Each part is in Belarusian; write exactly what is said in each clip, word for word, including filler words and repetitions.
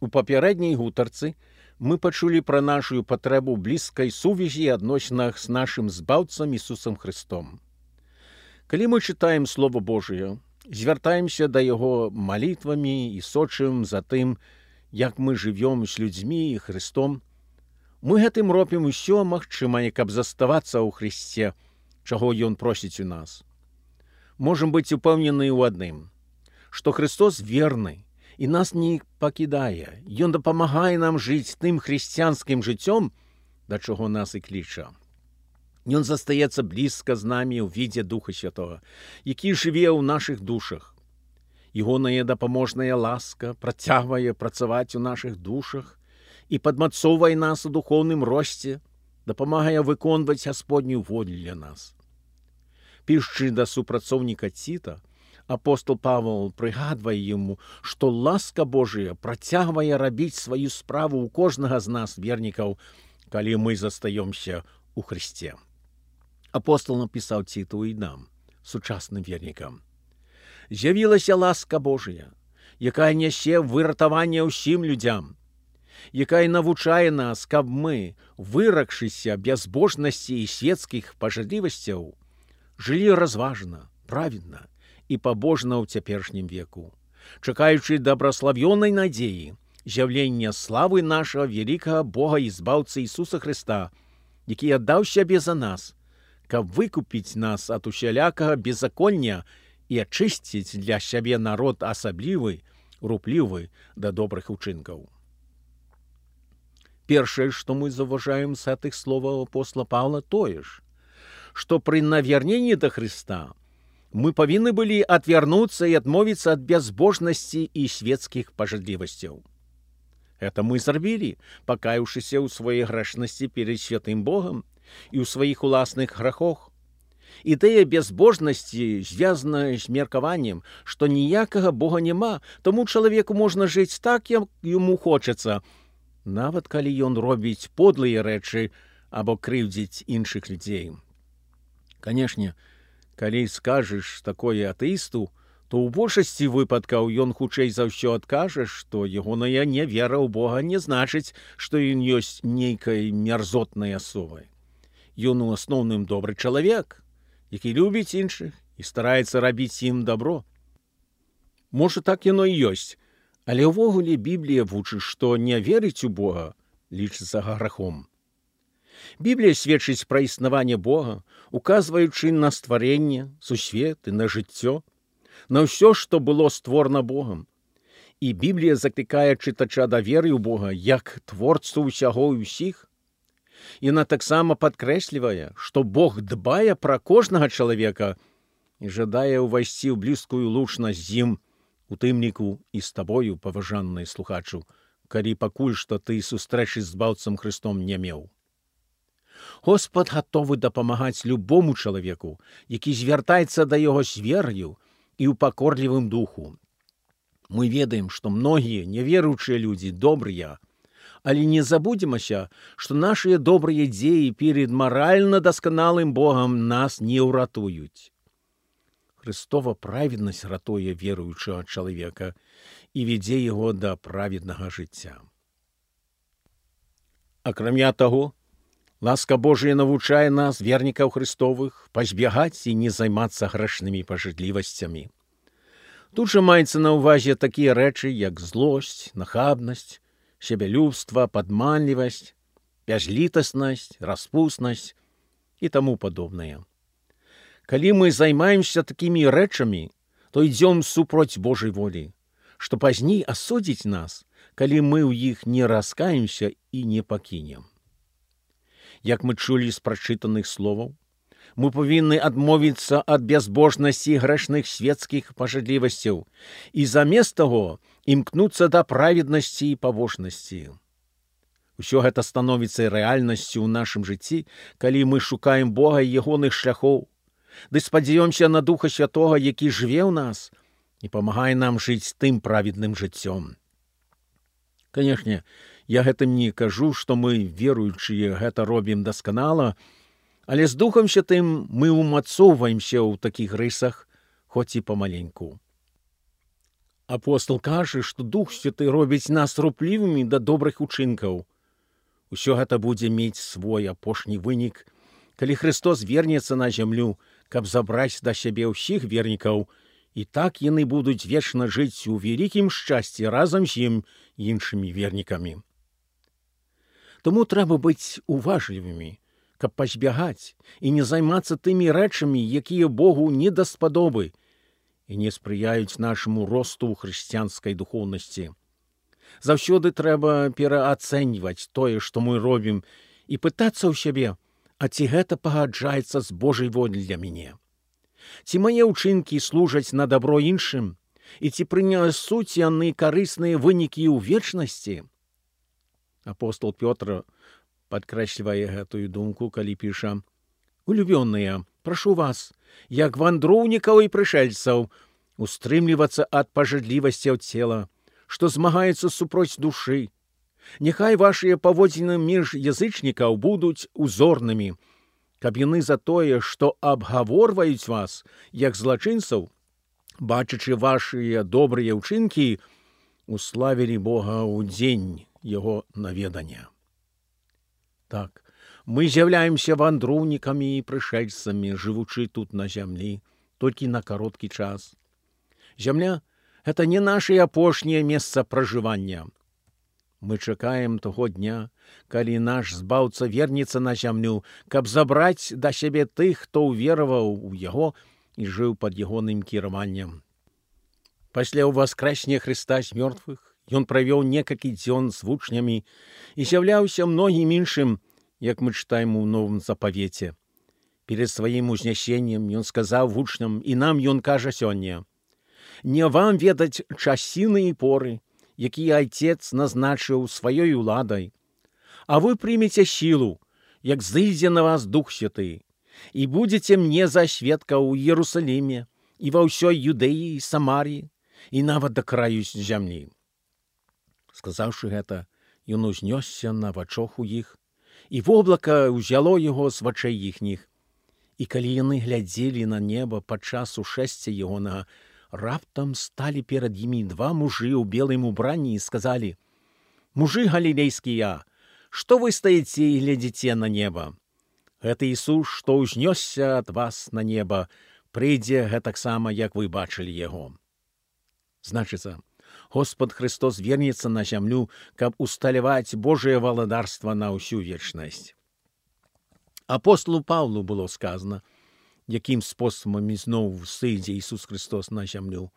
У папярэдняй гутарцы мы пачулі пра нашу патрэбу блізкай сувязі і адносінах з нашым збаўцам Ісусам Христом. Калі мы чытаем Слово Божие, звяртаемся да яго малітвамі і сочым за тым, як мы жывём з людзьмі і Христом, мы гэтым робім усё магчымае, каб заставацца ў Христе, чаго Ён просіць у нас. Можам быць упэўнены ў адным, што Христос верны і нас не пакідае. Ён дапамагае нам жыць тым хрысціянскім жыццём, да чаго нас і кліча. Ён застаецца блізка з намі ў відзе Духа Святога, які жыве ў нашых душах. Ягоная дапаможная ласка працягвае працаваць у нашых душах і падмацоўвае нас у духоўным росце, дапамагае выконваць Гасподнюю волю для нас. Пішучы да супрацоўніка Ціта, апостол Павел прыгадвае яму, што ласка Божая працягвае рабіць сваю справу ў кожнага з нас, вернікаў, калі мы застаёмся ў Христе. Апостол напісаў Ціту і нам, сучасным вернікам. «З'явілася ласка Божая, якая нясе выратаванне ўсім людзям, якая навучае нас, каб мы, выракшыся бязбожнасці і свецкіх пажадлівасцяў, жылі разважна, праведна і пабожна ў цяперашнім веку, чакаючы дабраславёнай надзеі, з'яўлення славы нашага вялікага Бога і збаўцы Ісуса Христа, які аддаў сябе за нас, каб выкупіць нас ад усялякага беззаконня і ачысціць для сябе народ асаблівы, руплівы да добрых учынкаў». Першае, што мы заўважаем з гэтых словаў апостола Павла, тое ж, што пры навярненні да Христа мы павінны былі адвярнуцца і адмовіцца ад бязбожнасці і свецкіх пажадлівасцяў. Гэта мы зрабілі, пакаяўшыся ў сваёй грэшнасці перад святым Богам і ў сваіх уласных грахах. Ідэя бязбожнасці звязана з меркаваннем, што ніякага Бога няма, таму чалавеку можна жыць так, як яму хочацца, нават калі ён робіць подлыя рэчы або крыўдзіць іншых людзей. Канешне, калі скажаш такое атэісту, то ў большасці выпадкаў ён хутчэй за ўсё адкажа, што ягоная нявера ў Бога не значыць, што ён ёсць нейкай мярзотнай асобай. Ён у асноўным добры чалавек, які любіць іншых і стараецца рабіць ім дабро. Можа, так яно і ёсць, але ўвогуле Біблія вучыць, што не верыць у Бога лічыцца грахом. Біблія сведчыць пра існаванне Бога, указваючы на стварэнне, сусвет і на жыццё, на ўсё, што было створана Богам. І Біблія заклікае чытача да веры ў Бога як творцу ўсяго і ўсіх. Яна таксама падкрэслівае, што Бог дбае пра кожнага чалавека і жадае ўвайсці ў блізкую лучнасць з ім, у тым ліку і з табою, паважанны слухачу, калі пакуль што ты сустрэчы з збаўцам Христом не меў. Господ гатовы дапамагаць любому чалавеку, які звяртаецца да яго з вераю і ў пакорлівым духу. Мы ведаем, што многія няверуючыя людзі добрыя, але не забудземася, што нашыя добрыя дзеі перед маральна дасканалым Богам нас не ўратуюць. Христова праведнасць ратуе веруючага чалавека і вядзе яго да праведнага жыцця. Акрамя таго, ласка Божая навучае нас, вернікаў Христовых, пазбягаць і не займацца грэшнымі пажадлівасцямі. Тут жа маецца на ўвазе такія рэчы, як злосць, нахабнасць, сябялюбства, падманлівасць, бязлітаснасць, распуснасць і таму падобнае. Калі мы займаемся такімі рэчамі, то ідзём супроць Божай волі, што пазней асудзіць нас, калі мы ў іх не раскаемся і не пакінем. Як мы чулі з прачытаных словаў, мы павінны адмовіцца ад бязбожнасці грэшных свецкіх пажадлівасцяў і замест таго імкнуцца да праведнасці і пабожнасці. Усё гэта становіцца рэальнасцю ў нашым жыцці, калі мы шукаем Бога і ягоных шляхоў, ды спадзяёмся на Духа Святога, які жыве ў нас і памагае нам жыць тым праведным жыццём. Канешне, я гэтым не кажу, што мы, веруючыя, гэта робім дасканала, але з Духам Святым мы ўмацоўваемся ў такіх рысах, хоць і памаленьку. Апостол кажа, што Дух Святы робіць нас руплівымі да добрых учынкаў. Усё гэта будзе мець свой апошні вынік, калі Христос вернецца на зямлю, каб забраць да сябе ўсіх вернікаў, і так яны будуць вечна жыць у вялікім шчасці разам з ім іншымі вернікамі. Таму трэба быць уважлівымі, каб пазбягаць і не займацца тымі рэчамі, якія Богу не даспадобы і не спрыяюць нашаму росту ў хрысціянскай духоўнасці. Заўсёды трэба пераацэньваць тое, што мы робім, і пытацца ў сябе, а ці гэта пагаджаецца з Божай волі для мяне? Ці мае ўчынкі служаць на дабро іншым, і ці прынясуць яны карысныя вынікі ў вечнасці? Апостол Пётр падкрэслівае гэтую думку, калі піша: «Улюбёныя, прашу вас, як вандроўнікаў і прышэльцаў, устрымлівацца ад пажадлівасцяў цела, што змагаецца супроць душы. Няхай вашыя паводзіны між язычнікаў будуць узорнымі, каб яны за тое, што абгаворваюць вас, як злачынцаў, бачачы вашыя добрыя ўчынкі, уславілі Бога ў дзень яго наведання». Так, мы з'яўляемся вандроўнікамі і прышэльцамі, жывучы тут на зямлі, толькі на кароткі час. Зямля — гэта не наше апошняе месца пражывання. Мы чакаем таго дня, калі наш збаўца вернецца на зямлю, каб забраць да сябе тых, хто ўвераваў у яго і жыў пад ягоным кіраваннем. Пасля ўваскрэсення Хрыста з мёртвых ён правёў некалькі дзён з вучнямі і з'яўляўся многім іншым, як мы чытаем у Новым Запавеце. Перед сваім узнясеннем ён сказаў вучням, і нам ён кажа сёння: «Не вам ведаць часіны і поры, якія Айцец назначыў сваёй уладай, а вы прымеце сілу, як зыдзе на вас Дух Святы, і будзеце мне за сведка ў Іерусаліме і ва ўсёй Юдэі і Самарыі, і нават да краю зямлі». Сказаўшы гэта, ён узнёсся на вачах у іх, і воблака ўзяло яго з вачэй іхніх. І калі яны глядзелі на неба падчас ушэсця ягонага, раптам сталі перад імі два мужы ў белым убранні і сказалі: «Мужы галілейскія, што вы стаіце і глядзіце на неба? Гэта Ісус, што ўзнёсся ад вас на неба, прыйдзе гэтаксама, як вы бачылі яго». Значыцца, Господ Христос вернецца на зямлю, каб усталяваць Божае валадарства на ўсю вечнасць. Апостолу Павлу было сказано, якім спосабам ізноў сыдзе Ісус Христос на зямлю.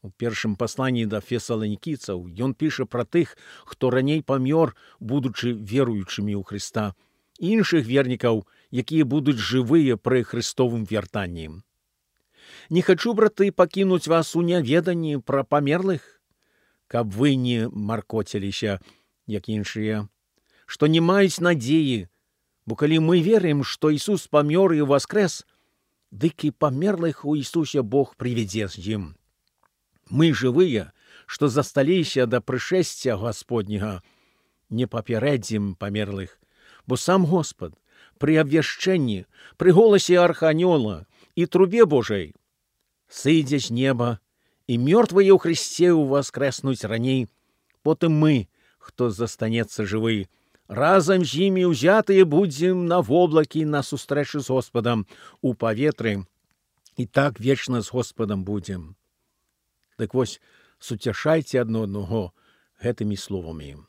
У першым пасланні да фесаланікійцаў ён піша пра тых, хто раней памёр, будучы веруючымі ў Хрыста, і іншых вернікаў, якія будуць жывыя пры Христовым вяртанні. «Не хачу, браты, пакінуць вас у няведанні пра памерлых, каб вы не маркоціліся, як іншыя, што не маюць надзеі, бо калі мы верым, што Ісус памёр і воскрэс, дык і памерлых у Ісусе Бог прывядзе з ім. Мы жывыя, што засталіся да прышэсця Гасподняга, не папярэдзім памерлых, бо сам Господ пры абвяшчэнні, пры голасе арханёла і трубе Божай сыдзе з неба, і мёртвыя ў Хрысце ўваскрэснуць раней, потым мы, хто застанецца жывы, разам з імі ўзятыя будзем на воблакі на сустрэчу з Господам у паветры, і так вечна з Господам будзем». Дык вось, суцяшайце адно аднаго гэтымі словамі.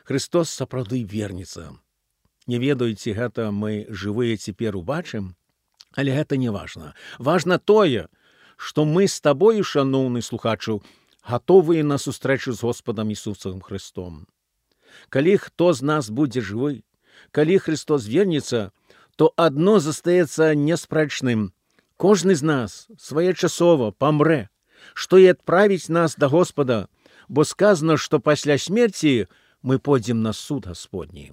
Христос сапраўды вернецца. Не ведаеце, гэта мы жывыя цяпер убачым, але гэта не важна. Важна тое, што мы з табою, шаноўны слухачу, гатовыя на сустрэчу з Господам Ісусам Христом. Калі хто з нас будзе жывы, калі Христос вернецца, то адно застаецца неспрэчным. Кожны з нас своечасова памрэ, што і адправіць нас да Господа, бо сказано, што пасля смерці мы пойдзем на суд Гасподні.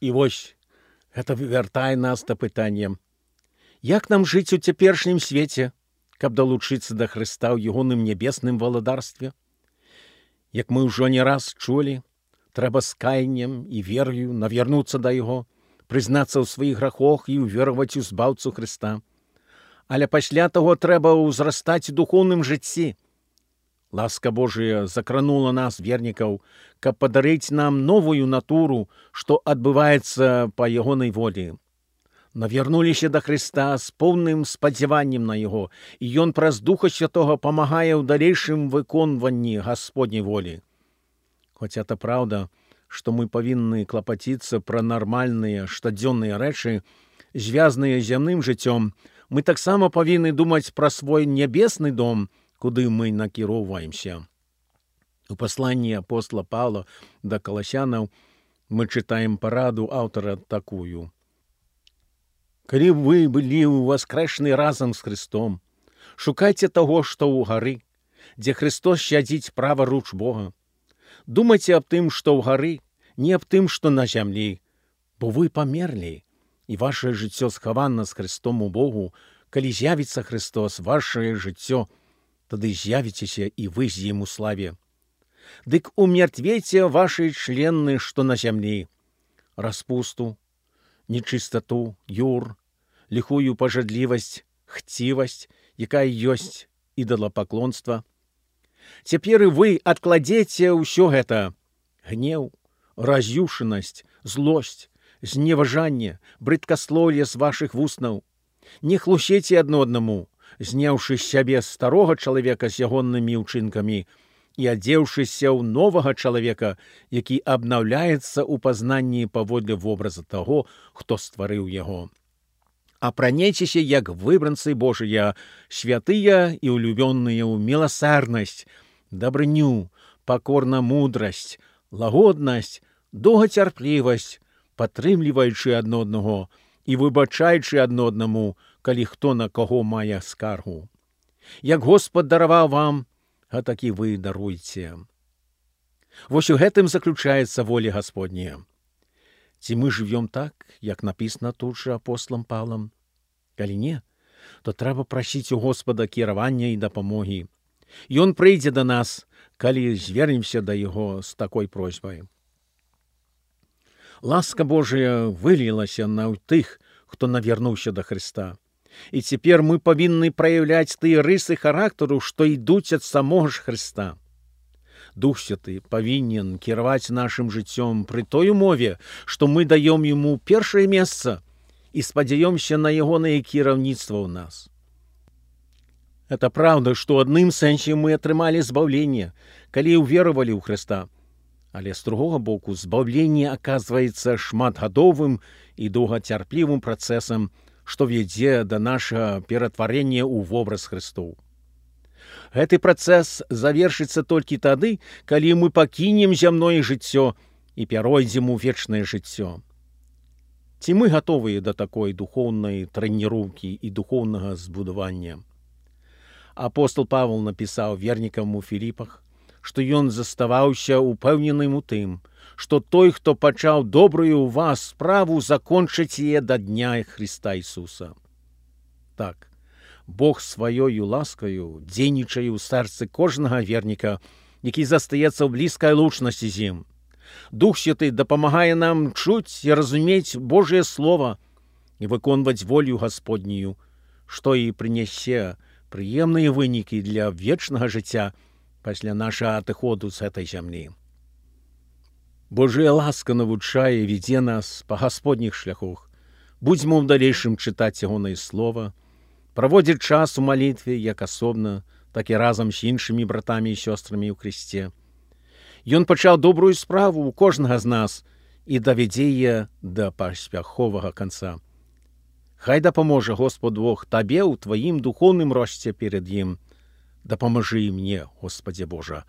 І вось, гэта вяртае нас да пытання: як нам жыць у цяперашнім свеце, каб далучыцца да Хрыста ў ягоным нябесным валадарстве? Як мы ўжо не раз чулі, трэба з каяннем і верою навярнуцца да Яго, прызнацца ў сваіх грахах і ўвераваць у збаўцу Хрыста. але пасля таго трэба ўзрастаць у духоўным жыцці. Ласка Божия закранула нас, вернікаў, каб падарыць нам новую натуру, што адбываецца па ягонай волі. Навярнуліся да Хрыста з поўным спадзяваннем на Яго, і Ён праз Духа Святога памагае ў далейшым выконванні Гасподняй волі. Хоць это праўда, што мы павінны клапаціцца пра нармальныя штодзённыя рэчы, звязаныя з зямным жыццём, мы таксама павінны думаць пра свой нябесны дом, куды мы накіроўваемся. У пасланні апостола Паўла да Каласянаў мы чытаем параду аўтара такую. «Калі вы былі ўваскрэшаны разам з Христом, шукайце таго, што ў гары, дзе Христос сядзіць права руч Бога. Думайце аб тым, што ў гары, не аб тым, што на зямлі, бо вы памерлі, і ваше жыццё схавана з Христом у Богу. Калі з'явіцца Христос, ваше жыццё, тады з'явіцеся і вы з ім у славе. Дык умертвейце вашы члены, што на зямлі, распусту, нечыстату, юр, ліхую пажадлівасць, хцівасць, якая ёсць ідалапаклонства. Цяпер і вы адкладзеце ўсё гэта: гнеў, раз'юшанасць, злосць, зневажанне, брыдкаслоўе з вашых вуснаў. Не хлусеце адно аднаму, зняўшы з сябе старога чалавека з ягоннымі ўчынкамі і адзеўшыся ў новага чалавека, які абнаўляецца ў пазнанні паводле вобраза таго, хто стварыў яго. Апранейцеся, як выбранцы Божыя, святыя і улюбённыя ў міласэрнасць, дабрыню, пакорна мудрасць, лагоднасць, доўгацярплівасць, падтрымліваючы адно аднаго і выбачаючы адно аднаму, калі хто на каго мае скаргу. Як Господ дараваў вам, гэтак і вы даруйце». Вось у гэтым заключаецца воля Гасподняя. Ці мы жывём так, як напісана тут жа апосталам Паўлам? Калі не, то трэба прасіць у Господа кіравання і дапамогі. Ён прыйдзе да нас, калі звернемся да Яго з такой просьбай. Ласка Божия вылілася на тых, хто навярнуўся да Хрыста. І цяпер мы павінны праяўляць тыя рысы характару, што ідуць ад самога ж Хрыста. Дух Святы павінен кіраваць нашым жыццём пры той умове, што мы даём Яму першае месца і спадзяёмся на ягонае кіраўніцтва ў нас. Это праўда, што ў адным сэнсе мы атрымалі збаўленне, калі ўверавалі ў Хрыста. Але з другога боку, збаўленне аказваецца шматгадовым і доўгацярплівым працэсам, што вядзе да нашага ператварення ў вобраз Хрыстоў. Гэты працэс завершыцца толькі тады, калі мы пакінем зямное жыццё і пяройдзем у вечнае жыццё. Ці мы гатовыя да такой духоўнай трэніроўкі і духоўнага збудавання? Апостол Павел напісаў вернікам у Філіпах, што ён заставаўся упэўненым у тым, што той, хто пачаў добрую ў вас справу, закончыць яе да дня Хрыста Ісуса. Так, Бог сваёю ласкаю дзейнічае ў сэрцы кожнага верніка, які застаецца ў блізкай лучнасці з ім. Дух Святы дапамагае нам чуць і разумець Божае Слова і выконваць волю Гасподнюю, што і прынясе прыемныя вынікі для вечнага жыцця пасля нашага адыходу з гэтай зямлі. Божая ласка навучае і вядзе нас па гасподніх шляхах. Будзьмо ў далейшым чытаць ягонае слова, праводзіць час у малітве як асобна, так і разам з іншымі братамі і сёстрамі ў Хрысце. Ён пачаў добрую справу ў кожнага з нас і давядзе яе да паспяховага канца. Хай дапаможа Господ Бог табе ў тваім духоўным росце перад ім. Дапамажы і мне, Господзе Божа.